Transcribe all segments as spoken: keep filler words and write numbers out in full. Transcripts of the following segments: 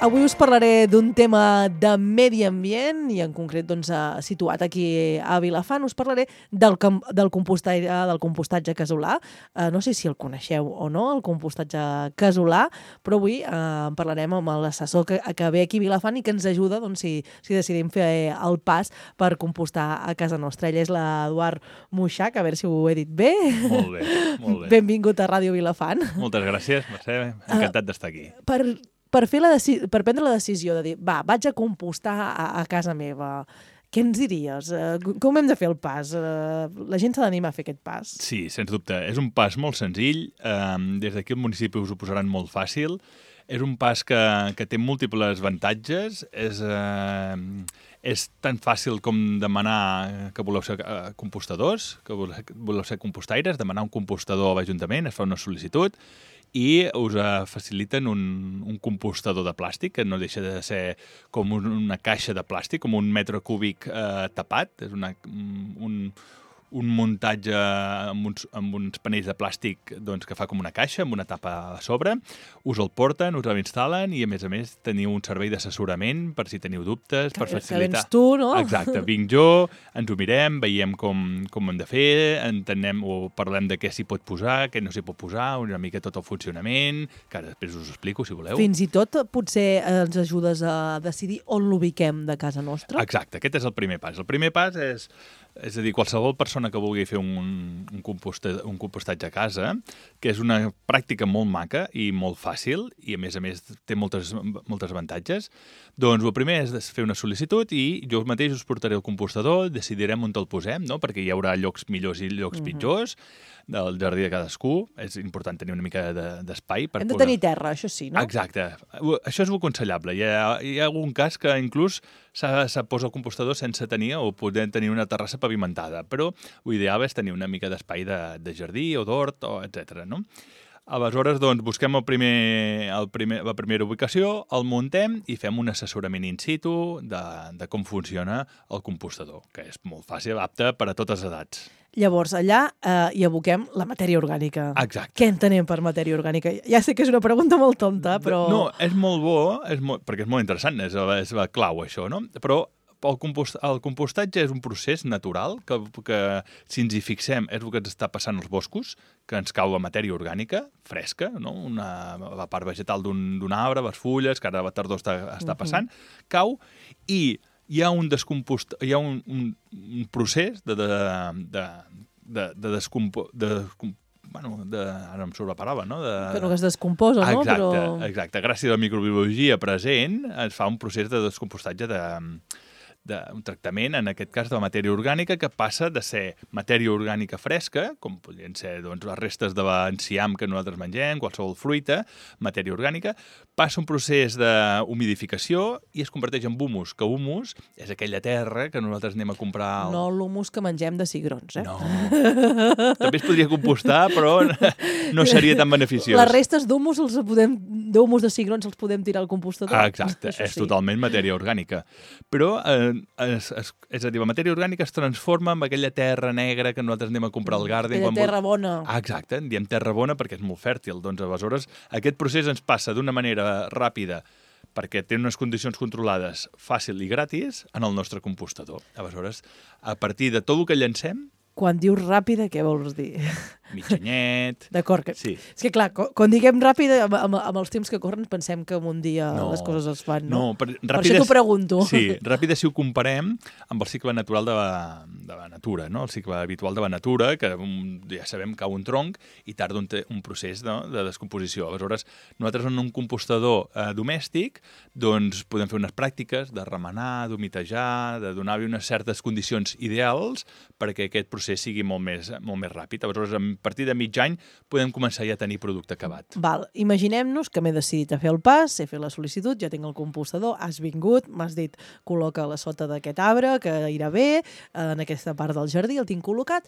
Avui us parlaré d'un tema de medi ambient i en concret doncs, situat aquí a Vilafant. Us parlaré del, del, compostatge, del compostatge casolà. Uh, no sé si el coneixeu o no, el compostatge casolà, però avui uh, parlarem amb l'assessor que, que ve aquí a Vilafant i que ens ajuda doncs, si, si decidim fer el pas per compostar a casa nostra. Ell és l'Eduard Muixach, a veure si ho he dit bé. Molt bé, molt bé. Benvingut a Ràdio Vilafant. Moltes gràcies, Mercè, encantat uh, d'estar aquí. Per... Per, fer la per prendre la decisió de dir, va, vaig a compostar a, a casa meva, què ens diries? Uh, com hem de fer el pas? Uh, la gent s'ha d'animar a fer aquest pas? Sí, sens dubte. És un pas molt senzill. Um, des d'aquí el municipi us ho posaran molt fàcil. És un pas que, que té múltiples avantatges. És, uh, és tan fàcil com demanar que voleu ser uh, compostadors, que voleu ser compostaires, demanar un compostador a l'Ajuntament, es fa una sol·licitud, i us faciliten un, un compostador de plàstic, que no deixa de ser com un, una caixa de plàstic, com un metre cúbic eh, tapat. És una, un, un muntatge amb uns, amb uns panells de plàstic doncs, que fa com una caixa, amb una tapa a sobre. Us el porten, us l'instal·len i, a més a més, teniu un servei d'assessorament per si teniu dubtes, que, per facilitar... Que vens tu, no? Exacte, vinc jo, ens ho mirem, veiem com, com ho hem de fer, entenem o parlem de què s'hi pot posar, què no s'hi pot posar, una mica tot el funcionament, que ara després us ho explico, si voleu. Fins i tot potser ens ajudes a decidir on l'ubiquem de casa nostra? Exacte, aquest és el primer pas. El primer pas és... És a dir, qualsevol persona que vulgui fer un, un, composta, un compostatge a casa, que és una pràctica molt maca i molt fàcil, i a més a més té moltes, moltes avantatges, doncs el primer és fer una sol·licitud i jo mateix us portaré el compostador, decidirem on te'l posem, no? Perquè hi haurà llocs millors i llocs mm-hmm. pitjors, del jardí de cadascú. És important tenir una mica d'espai. De, Hem de poder... tenir terra, això sí, no? Exacte. Això és aconsellable. Hi ha, hi ha algun cas que inclús se posa el compostador sense tenir o poder tenir una terrassa pavimentada, però l'ideal és tenir una mica d'espai de, de jardí o d'hort, o etcètera, no? Aleshores, doncs, busquem el primer, el primer, la primera ubicació, el muntem i fem un assessorament in situ de, de com funciona el compostador, que és molt fàcil, apte per a totes les edats. Llavors, allà eh, hi aboquem la matèria orgànica. Exacte. Què entenem per matèria orgànica? Ja sé que és una pregunta molt tonta, però... No, és molt bo, és molt, perquè és molt interessant, és, és la clau, això, no? Però el, compost, el compostatge és un procés natural que, que, si ens hi fixem, és el que ens està passant als boscos, que ens cau la matèria orgànica, fresca, no? Una, la part vegetal d'un arbre, les fulles, que ara a la tardor està, està passant, uh-huh. cau, i hi ha un descompost, hi ha un, un, un procés de, de, de, de, de descompo... De, bueno, de, ara em surt la paraula, no? De... Que no es descomposa, no? Exacte, Però... exacte. Gràcies a la microbiologia present es fa un procés de descompostatge de... d'un tractament, en aquest cas de la matèria orgànica, que passa de ser matèria orgànica fresca, com podrien ser doncs, les restes de l'enciam que nosaltres mengem, qualsevol fruita, matèria orgànica, passa un procés d'humidificació i es converteix en humus, que humus és aquella terra que nosaltres anem a comprar... Al... No l'humus que mengem de cigrons, eh? No. També es podria compostar, però no seria tan beneficiós. Les restes d'humus els podem, d'humus de cigrons els podem tirar al compostador. Ah, exacte, és sí. Totalment matèria orgànica. Però... Eh, Es, es, és a dir, la matèria orgànica es transforma en aquella terra negra que nosaltres anem a comprar al Garden. Aquella quan terra vol... bona. Ah, exacte, en diem terra bona perquè és molt fèrtil. Doncs aleshores aquest procés ens passa d'una manera ràpida perquè té unes condicions controlades fàcil i gratis en el nostre compostador. Aleshores, a partir de tot el que llancem... Quan dius ràpida, què vols dir? Mitjanyet... D'acord. Que... Sí. És que, clar, quan diguem ràpida, amb, amb, amb els temps que corren, pensem que en un dia no, les coses es fan, no? No, per, per això t'ho pregunto. Sí, ràpida si ho comparem amb el cicle natural de la, de la natura, no? El cicle habitual de la natura, que un, ja sabem que cau un tronc i tarda un, un procés, no? De descomposició. Aleshores, nosaltres en un compostador eh, domèstic doncs podem fer unes pràctiques de remenar, d'humitejar, de donar-li unes certes condicions ideals perquè aquest procés sigui molt més, molt més ràpid. Aleshores, a partir de mig any podem començar ja a tenir producte acabat. Val, imaginem-nos que m'he decidit a fer el pas, he fet la sol·licitud, ja tinc el compostador, has vingut, m'has dit col·loca la sota d'aquest arbre, que irà bé, en aquesta part del jardí el tinc col·locat,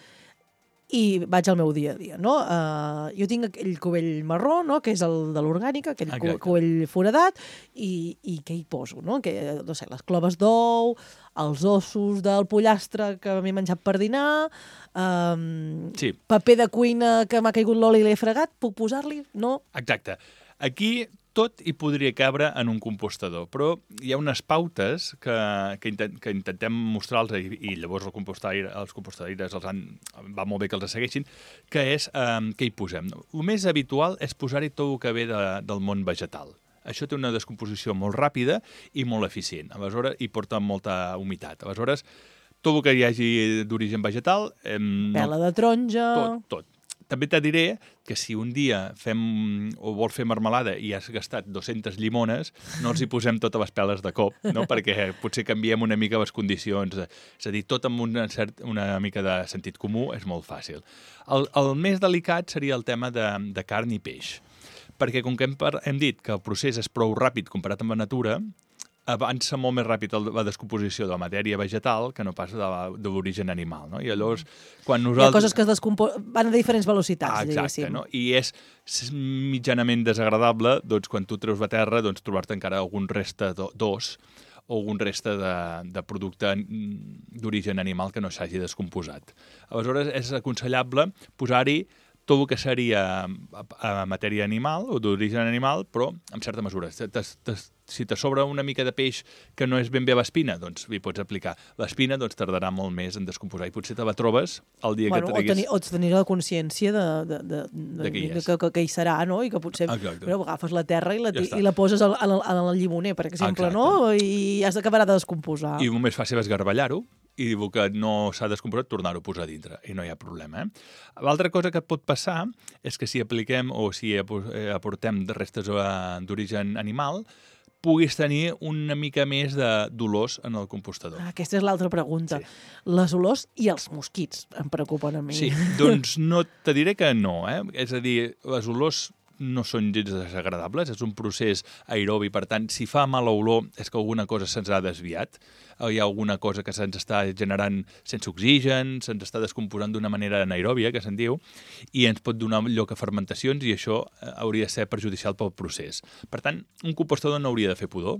i vaig al meu dia a dia, no? Uh, jo tinc aquell cubell marró, no?, que és el de l'orgànica, aquell Exacte. Cubell foradat, i, i què hi poso, no? Que, no sé, les cloves d'ou, els ossos del pollastre que m'he menjat per dinar, um, sí. paper de cuina que m'ha caigut l'oli i l'he fregat, puc posar-li? No? Exacte. Aquí tot hi podria cabre en un compostador, però hi ha unes pautes que, que, intent, que intentem mostrar-los i, i llavors el compostaire, els compostaires els han, va molt bé que els segueixin, que és eh, què hi posem. El més habitual és posar-hi tot el que ve de, del món vegetal. Això té una descomposició molt ràpida i molt eficient. Aleshores, hi porta molta humitat. Aleshores, tot el que hi hagi d'origen vegetal... Eh, Pela de taronja... Tot, tot. També te diré que si un dia fem o vols fer marmelada i has gastat dues-centes llimones, no els hi posem totes les peles de cop, no? Perquè potser canviem una mica les condicions. És a dir, tot amb una, cert, una mica de sentit comú és molt fàcil. El, el més delicat seria el tema de, de carn i peix, perquè com que hem, hem dit que el procés és prou ràpid comparat amb la natura, avança molt més ràpid la descomposició de la matèria vegetal que no pas de l'origen animal, no? I llavors, quan nosaltres... Hi ha coses que es descomposen, van a diferents velocitats, ah, exacte, diguéssim. No? I és mitjanament desagradable, doncs, quan tu treus la terra, doncs, trobar-te encara algun reste d'os o algun reste de, de producte d'origen animal que no s'hagi descomposat. Aleshores, és aconsellable posar-hi tot el que seria a matèria animal o d'origen animal, però amb certa mesura. Te, te, si te sobra una mica de peix que no és ben bé l'espina, doncs hi pots aplicar. L'espina doncs, tardarà molt més en descomposar i potser te la trobes el dia bueno, que treguis... O, tenir, o tenir la consciència de, de, de, de, de que, hi que, que, que hi serà, no? I que potser bueno, agafes la terra i la, ja i la poses al, al, al llimoner, per exemple, exacte. No? I has d'acabar de descomposar. I el més fàcil és garballar-ho, i diu que no s'ha descomposat, tornar-ho a posar dintre, i no hi ha problema. Eh? L'altra cosa que pot passar és que si apliquem o si aportem restes d'origen animal, puguis tenir una mica més de dolors en el compostador. Ah, aquesta és l'altra pregunta. Sí. Les olors i els mosquits em preocupen a mi. Sí, doncs no, te diré que no. Eh? És a dir, les olors no són gens desagradables, és un procés aerobi, per tant, si fa mala olor és que alguna cosa se'ns ha desviat, hi ha alguna cosa que se'ns està generant sense oxigen, se'ns està descomposant d'una manera anaeròbia, que se'n diu, i ens pot donar lloc a fermentacions i això hauria de ser perjudicial pel procés. Per tant, un compostador no hauria de fer pudor,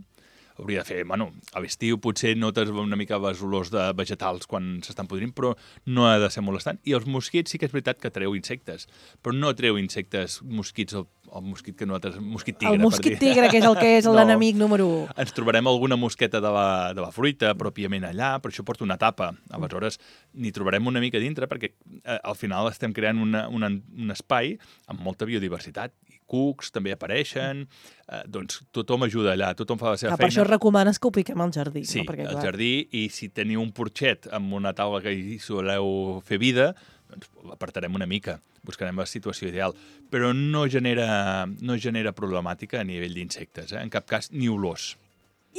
hauria de fer, bueno, a l'estiu potser notes una mica les olors de vegetals quan s'estan podrint, però no ha de ser molestant. I els mosquits sí que és veritat que treu insectes, però no treu insectes, mosquits, el, el mosquit que nosaltres... Mosquit tigre, el mosquit tigre, que és el que és l'enemic no, número u. Ens trobarem alguna mosqueta de la, de la fruita pròpiament allà, però això porta una tapa. Aleshores, n'hi trobarem una mica dintre perquè eh, al final estem creant una, una, un espai amb molta biodiversitat. Cucs també apareixen, eh, doncs tothom ajuda allà, tothom fa la seva ah, feina. Per això recomanes que ho piquem al jardí. Sí, no? Perquè, al clar... jardí, i si teniu un porxet amb una taula que hi soleu fer vida, doncs l'apartarem una mica, buscarem la situació ideal, però no genera, no genera problemàtica a nivell d'insectes, eh? En cap cas ni olors.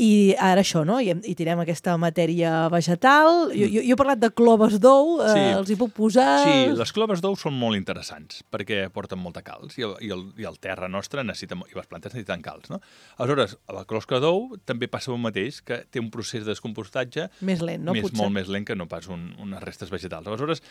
I ara això, no? I, i tirem aquesta matèria vegetal. Jo, jo, jo he parlat de cloves d'ou, eh, sí. Els hi puc posar... Sí, les cloves d'ou són molt interessants perquè porten molta calç i el, i el, i el terra nostra necessita, i les plantes necessiten calç, no? Aleshores, la closca d'ou també passa el mateix, que té un procés de descompostatge més lent, no? Més, Potser. Molt més lent que no pas un, unes restes vegetals. Aleshores,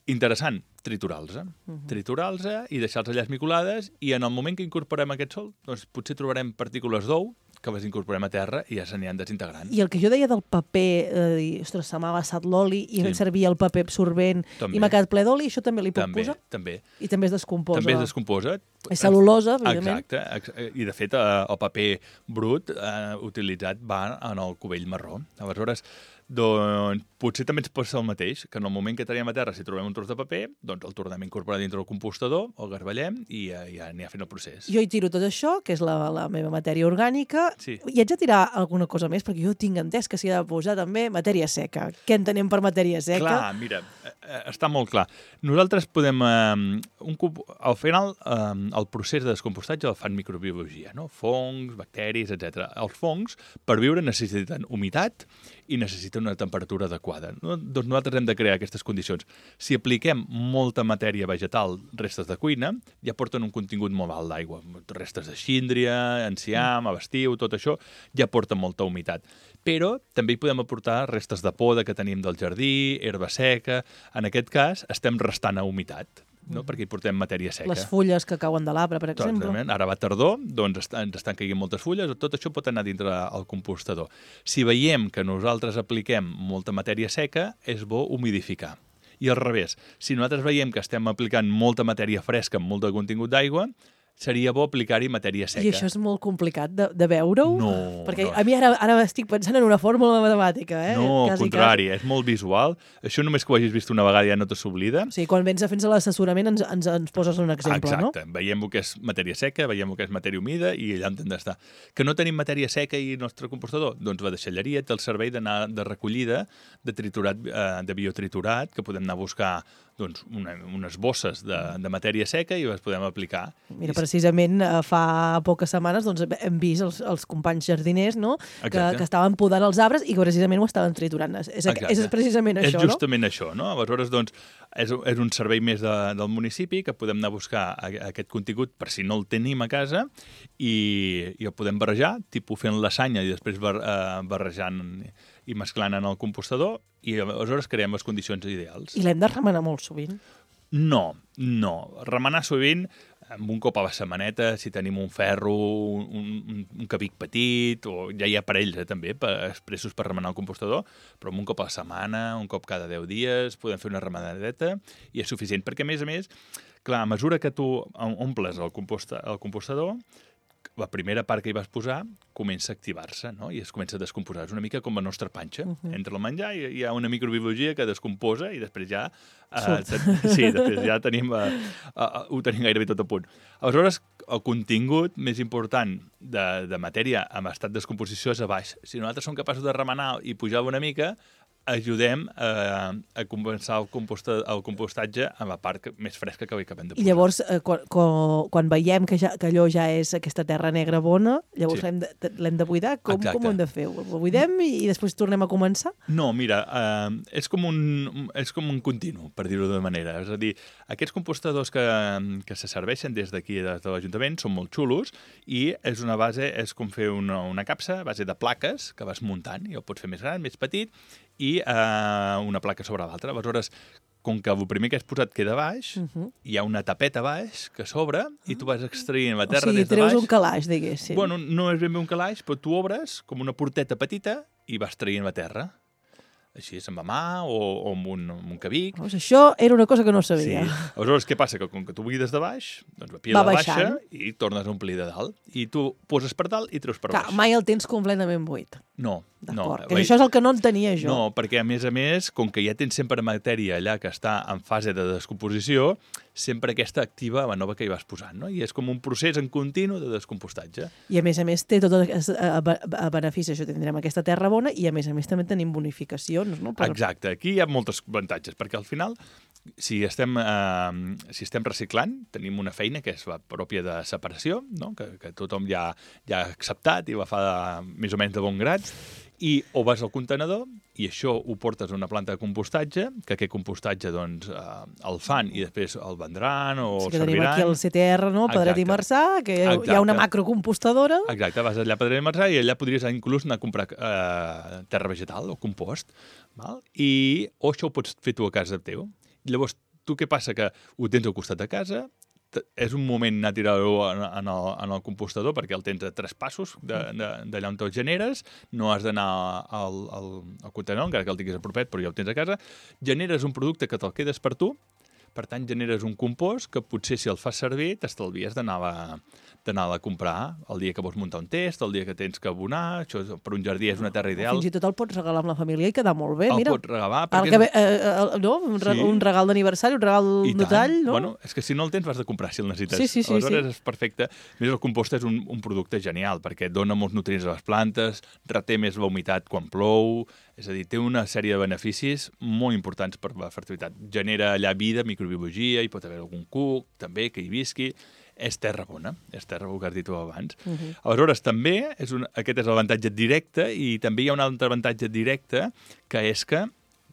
interessant, triturar-los, eh? Uh-huh. Triturar-los i deixar-los allà esmicolades, i en el moment que incorporem aquest sol, doncs potser trobarem partícules d'ou que les incorporem a terra i ja se n'hi han desintegrant. I el que jo deia del paper, eh, dir, ostres, se m'ha vessat l'oli i sí. servia el paper absorbent també. I m'ha quedat ple d'oli, això també li puc també, posar? També. I també es descomposa? També es descomposa. És cel·lulosa, evidentment. Exacte. I, de fet, el paper brut eh, utilitzat va en el cubell marró. Aleshores, doncs, potser també ens pot ser el mateix, que en el moment que traiem a terra, si trobem un tros de paper, doncs el tornem a incorporar dintre del compostador, el garballem i ja, ja n'hi ha fent el procés. Jo hi tiro tot això, que és la, la meva matèria orgànica, sí. I haig de tirar alguna cosa més, perquè jo tinc entès que s'hi ha de posar també matèria seca. Què entenem per matèria seca? Clar, mira, està molt clar. Nosaltres podem... Eh, un, al final, eh, el procés de descompostatge el fan microbiologia, no? Fongs, bacteris, etcètera. Els fongs, per viure, necessiten humitat i necessiten una temperatura adequada. No? Doncs nosaltres hem de crear aquestes condicions. Si apliquem molta matèria vegetal, restes de cuina, ja porten un contingut molt alt d'aigua. Restes de síndria, enciam, abestiu, tot això, ja porta molta humitat. Però també hi podem aportar restes de poda que tenim del jardí, herba seca. En aquest cas, estem restant a humitat, no? Perquè hi portem matèria seca. Les fulles que cauen de l'arbre, per exemple. Exactament. Ara va tardor, doncs ens estan caient moltes fulles, tot això pot anar dintre el compostador. Si veiem que nosaltres apliquem molta matèria seca, és bo humidificar. I al revés, si nosaltres veiem que estem aplicant molta matèria fresca amb molt de contingut d'aigua, seria bo aplicar-hi matèria seca. I això és molt complicat de, de veure-ho? No. Perquè no. a mi ara, ara estic pensant en una fórmula matemàtica, eh? No, al quasi, contrari, quasi. és molt visual. Això només que ho hagis vist una vegada ja no te s'oblida. O sigui, quan vens a fer l'assessorament ens, ens, ens poses un exemple, Exacte. no? Exacte. Veiem el que és matèria seca, veiem el que és matèria humida i allà on hem d'estar. Que no tenim matèria seca i el nostre compostador? Doncs la deixalleria té el servei d'anar de recollida de triturat, eh, de biotriturat, que podem anar a buscar doncs, una, unes bosses de, de matèria seca i les podem aplicar. Mira, precisament fa poques setmanes doncs, hem vist els, els companys jardiners, no? que, que estaven podant els arbres i que precisament ho estaven triturant. És, és precisament és això, no? És justament això, no? Aleshores, doncs, és, és un servei més de, del municipi que podem anar a buscar a, a aquest contingut per si no el tenim a casa i, i el podem barrejar, tipus fent lasanya i després bar, eh, barrejant i mesclant en el compostador i aleshores creem les condicions ideals. I l'hem de remenar molt sovint? No, no. Remenar sovint amb un cop a la setmaneta, si tenim un ferro, un, un, un cabic petit, o ja hi ha aparells eh, també per, expressos per remenar el compostador, però un cop a la setmana, un cop cada deu dies, podem fer una remenadeta i és suficient, perquè a més a més, clar, a mesura que tu omples el, composta, el compostador, la primera part que hi vas posar comença a activar-se, no? I es comença a descomposar. És una mica com la nostra panxa. Uh -huh. Entra el menjar i hi ha una microbiologia que descomposa i després ja... Eh, sí, després ja tenim, eh, eh, ho tenim gairebé tot a punt. Aleshores, el contingut més important de, de matèria en estat de descomposició és a baix. Si nosaltres som capaços de remenar i pujar una mica, ajudem a, a compensar el, composta, el compostatge amb la part que, més fresca que acabem de posar. I llavors, eh, quan, quan, quan veiem que, ja, que allò ja és aquesta terra negra bona, llavors sí. l'hem de, l'hem de buidar? Com, com ho hem de fer? Ho buidem i, i després tornem a començar? No, mira, eh, és, com un, és com un continu, per dir-ho d'una manera. És a dir, aquests compostadors que, que se serveixen des d'aquí, des de l'Ajuntament, són molt xulos i és una base, és com fer una, una capsa a base de plaques que vas muntant i el pots fer més gran, més petit, i eh, una placa sobre l'altra. Aleshores, com que el primer que has posat queda baix, uh -huh. hi ha una tapeta baix que s'obre i tu vas extraient la terra o sigui, des de baix. O sigui, treus un calaix, diguéssim. Bueno, no és ben bé un calaix, però tu obres com una porteta petita i vas traient la terra. Així, amb la mà o, o amb, un, amb un cabic. Pues això era una cosa que no sabia. Sí. Aleshores, què passa? Que com que tu buides de baix, doncs la pila Va de baixa baixant. i tornes a omplir de dalt. I tu poses per dalt i treus per Clar, baix. mai el tens completament buit. No, no. D'acord, que això és el que no entenia jo. No, perquè a més a més, com que ja tens sempre matèria allà que està en fase de descomposició, sempre aquesta activa la nova que hi vas posant, no? I és com un procés en continu de descompostatge. I a més a més té tot el benefici, això tindrem aquesta terra bona i a més a més també tenim bonificacions, no? Per... Exacte, aquí hi ha moltes avantatges, perquè al final, si estem, eh, si estem reciclant, tenim una feina que és la pròpia de separació, no? que, que tothom ja, ja ha acceptat i la fa de, més o menys de bon grat, i o vas al contenedor i això ho portes a una planta de compostatge, que aquest compostatge doncs, eh, el fan i després el vendran o sí, el que serviran. Tenim aquí el C T R, no? Pedret i Marçà, que Exacte. Hi ha una macrocompostadora. Exacte, vas allà a Pedret i Marçà i allà podries inclús anar a comprar eh, terra vegetal o compost, val? I o això ho pots fer tu a casa teu. Llavors, tu què passa? Que ho tens al costat de casa, és un moment anar a tirar-ho en, en, el, en el compostador perquè el tens a tres passos d'allà on te'l generes, no has d'anar al, al, al contenedor, encara que el tinguis a propet, però ja ho tens a casa, generes un producte que te'l quedes per tu, per tant generes un compost que potser si el fas servir t'estalvies d'anar d'anar a comprar el dia que vols muntar un test, el dia que tens que abonar, això per un jardí és una terra ideal. Fins i tot el pots regalar amb la família i quedar molt bé, el mira. El pots regalar. Perquè... Que, eh, eh, no? Un, re, sí. un regal d'aniversari, un regal de tall, no? Bueno, és que si no el tens vas de comprar si el necessites. Sí, sí, sí. Aleshores sí. és perfecte. A més, el compost és un, un producte genial perquè dona molts nutrients a les plantes, reté més la humitat quan plou, és a dir, té una sèrie de beneficis molt importants per la fertilitat. Genera allà vida, microbiologia, hi pot haver algun cuc, també, que hi visqui. És terra bona, és terra, ho que has dit tu abans. Uh -huh. Aleshores, també, és un, aquest és l'avantatge directe i també hi ha un altre avantatge directe que és que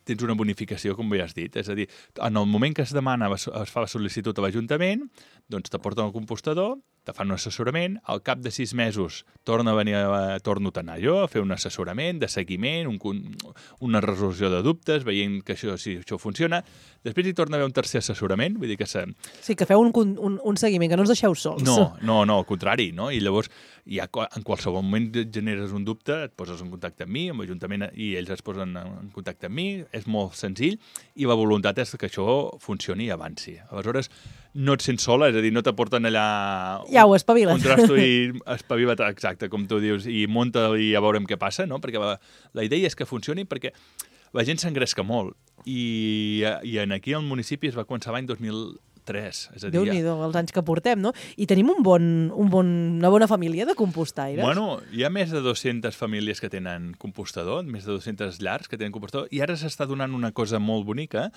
tens una bonificació, com bé has dit. És a dir, en el moment que es demana, es fa la sol·licitud a l'Ajuntament, doncs t'aporten al compostador, te fan un assessorament, al cap de sis mesos torna a venir a, torno a anar jo a fer un assessorament de seguiment, un, una resolució de dubtes, veient que això, si això funciona. Després hi torna a haver un tercer assessorament, vull dir que... Se... Sí, que feu un, un, un seguiment, que no us deixeu sols. No, no, no, al contrari, no? I llavors, ja, en qualsevol moment generes un dubte, et poses en contacte amb mi, amb l'Ajuntament, i ells es posen en contacte amb mi, és molt senzill, i la voluntat és que això funcioni i avanci. Aleshores, no et sents sola, és a dir, no t'aporten allà... Ja ho espavila't. Un trasto i espavila't, exacte, com tu dius, i munta i a veurem què passa, no? Perquè la, la idea és que funcioni perquè la gent s'engresca molt i, i en aquí al municipi es va començar l'any dos mil tres, és a dir... Déu-n'hi-do, els anys que portem, no? I tenim un bon, un bon, una bona família de compostaires. Bueno, hi ha més de dues-centes famílies que tenen compostador, més de dues-centes llars que tenen compostador, i ara s'està donant una cosa molt bonica,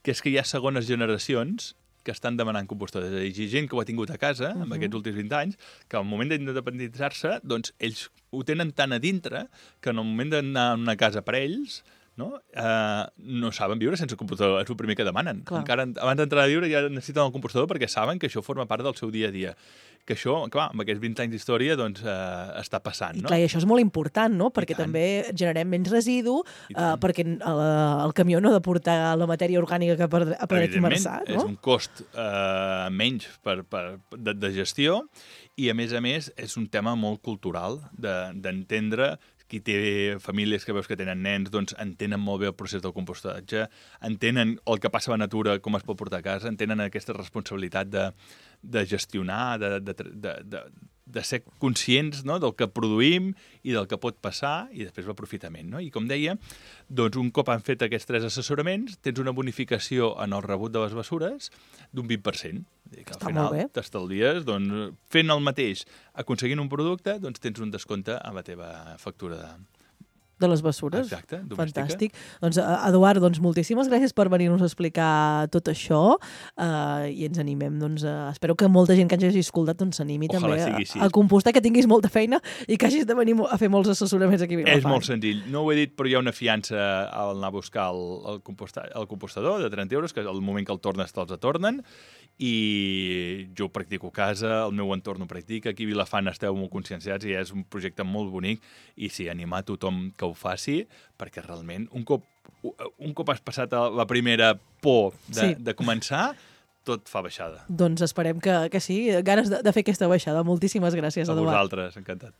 que és que hi ha segones generacions que estan demanant compostadors. És a dir, gent que ho ha tingut a casa, uh -huh. en aquests últims vint anys, que al moment d'independitzar-se, doncs ells ho tenen tan a dintre que en el moment d'anar a una casa per ells, no, uh, no saben viure sense compostador. És el primer que demanen. Clar. Encara abans d'entrar a viure ja necessiten el compostador perquè saben que això forma part del seu dia a dia. Que això, clar, amb aquests vint anys d'història, doncs, uh, està passant, no? I clar, i això és molt important, no? Perquè també generem menys residu, uh, perquè el, el camió no ha de portar la matèria orgànica que per, per esmerçar, no? És un cost uh, menys per, per, de, de gestió i, a més a més, és un tema molt cultural d'entendre... Qui té famílies que veus que tenen nens, doncs entenen molt bé el procés del compostatge, entenen el que passa a la natura, com es pot portar a casa, entenen aquesta responsabilitat de, de gestionar, de, de, de, de, de ser conscients, no?, del que produïm i del que pot passar, i després l'aprofitament, no? I com deia, doncs un cop han fet aquests tres assessoraments, tens una bonificació en el rebut de les bessures d'un vint per cent. Que Està al final molt bé. T'estalvies, doncs, fent el mateix, aconseguint un producte, doncs tens un descompte a la teva factura de... De les bessures. Exacte, domèstica. Fantàstic. Doncs, Eduard, doncs, moltíssimes gràcies per venir-nos a explicar tot això uh, i ens animem. Doncs, uh, espero que molta gent que ens hagi escoltat doncs, s'animi també a, a compostar, que tinguis molta feina i que hagis de venir a fer molts assessoraments aquí a Vilafant. És molt senzill. No ho he dit, però hi ha una fiança al anar a buscar el, el, composta, el compostador de trenta euros, que al moment que el tornes te'ls atornen, i jo ho practico a casa, el meu entorn ho practica, aquí a Vilafant esteu molt conscienciats i és un projecte molt bonic i sí, animar a tothom que ho faci, perquè realment un cop, un cop has passat la primera por de, sí. de començar, tot fa baixada. Doncs esperem que, que sí, ganes de, de fer aquesta baixada. Moltíssimes gràcies, a Eduard. A vosaltres, encantat.